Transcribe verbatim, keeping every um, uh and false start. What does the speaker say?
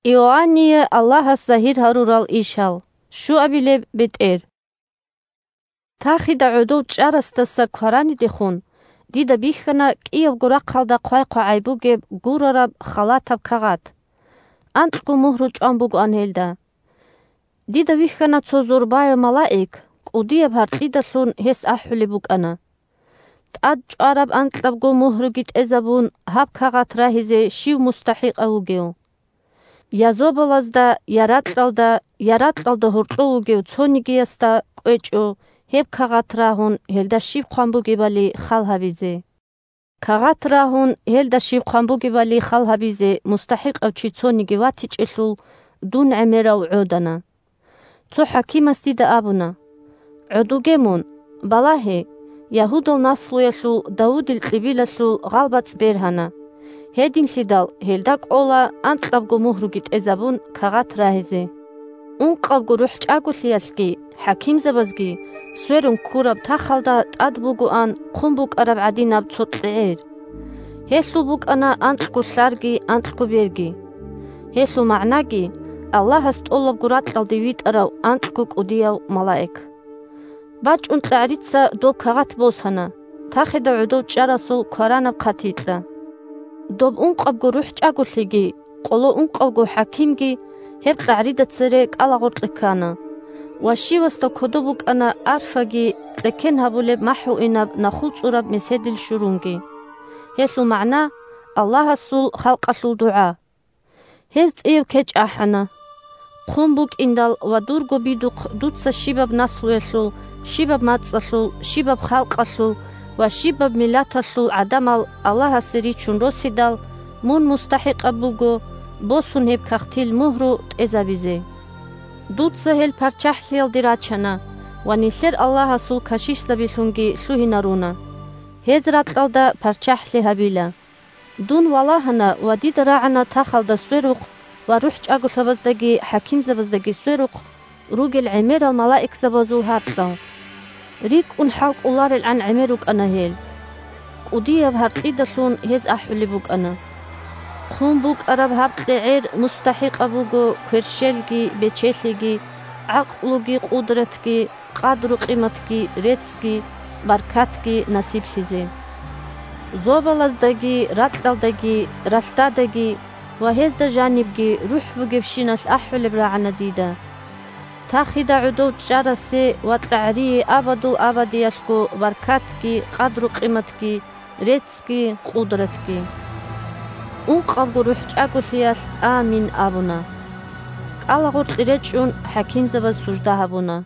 Иоанние Аллагьас загьир гьарурал ишал. Щуабилеб бетӀер. Тахида гӀодов чӀарасдаса кваранидехун, дида бихьана кӀиябго рахъалда хъвай-хъвагӀай бугеб гурараб халатаб кагъат. Анкьго мугьру чӀван бугоан гьелда. Дида вихьана цо зурбаяв малаик, кӀудияб гьаркьидалъун гьес ахӀулеб букӀана: «ТӀад чӀвараб анкьабго мугьруги тӀезабун, гьаб кагъат рагьизе щив мустахӀикъав вугев?» Я зобалазда, я ракьалда, я ракьалда гьоркьов вугев цонигиясда кӀвечӀо гьеб кагъат рагьун, гьелда щиб хъван бугебали хал гьабизе. Кагъат рагьун, гьелда щиб хъван бугебали хал гьабизе мустахӀикъав чи цониги ватичӀелъул, дун гӀемерав гӀодана. Цо хӀакимас дида абуна: «ГӀодуге мун, балагье, Ягьудал наслуялъул Давудил кьибилалъул гъалбацӀ бергьана. Гьединлъидал гьелда кӀола анкьабго мугьруги тӀезабун кагъат рагьизе». Ункъабго рухӀчӀаголъиялъги хӀакимзабазги сверун ккураб тахалда тӀад бугоан хъун букӀараб гӀадинаб цо кьегӀер. Гьелъул букӀана анкьго лъарги анкьго берги. Гьелъул магӀнаги: Аллагьас тӀолабго ракьалде витӀарав анкьго кӀудияв малаик. БачӀун кьагӀрица доб кагъат босана, тахида гӀодов чӀарасул кваранаб хъатикьа. Доб ункъабго рухӀчӀаголъиги къоло ункъавго хӀакимги гьеб кьагӀрида цере кӀалагъоркье ккана, ва щивасда кодоб букӀана арфаги кьеккен гьабулеб махӀгьуинаб нахул цӀураб меседил щурунги. Гьелъул магӀна: Аллагьасул халкъалъул дугӀа. Гьез цӀияб кечӀ ахӀана: «Хъун букӀиндал ва дурго бидухъ дуца щибаб наслуялъул, щибаб мацӀалъул, щибаб халкъалъул ва щибаб миллаталъул гӀадамал Аллагьасе ричун росидал, мун мустахӀикъаб буго босун гьеб кагътил мугьру тӀезабизе. Дуца гьел парччахӀлъиялде рачана ва нилъер Аллагьасул кашишзабилъунги лъугьинаруна. Гьез ракьалда парччахӀлъи гьабила». Дун валагьана ва дида рагӀана тахалда сверухъ ва рухӀчӀаголъабаздаги хӀакимзабаздаги сверухъ ругел гӀемерал малаикзабазул гьаркьал. РикӀкӀун хӀалкӀоларелгӀан гӀемер рукӀана гьел. КӀудияб гьаркьидалъун гьез ахӀулеб букӀана: «Хъун букӀараб гьаб кьегӀер мустахӀикъаб буго кверщелги, бечелъиги, гӀакълуги, къудратги, къадру-къиматги, реццги, баркатги насиблъизе. Зобалаздаги, ракьалдаги, ралъдадаги ва гьезда жанибги рухӀ бугебщиналъ ахӀулеб рагӀана дида. Тахида гӀодов чӀарасе ва кьагӀрие абадул-абадиялъго баркатги, къадру-къиматги, реццги, къудратги». Ункъабго рухӀчӀаголъиялъ «Амин» абуна. КӀалагъоркье речӀчӀун хӀакимзабаз сужда гьабуна.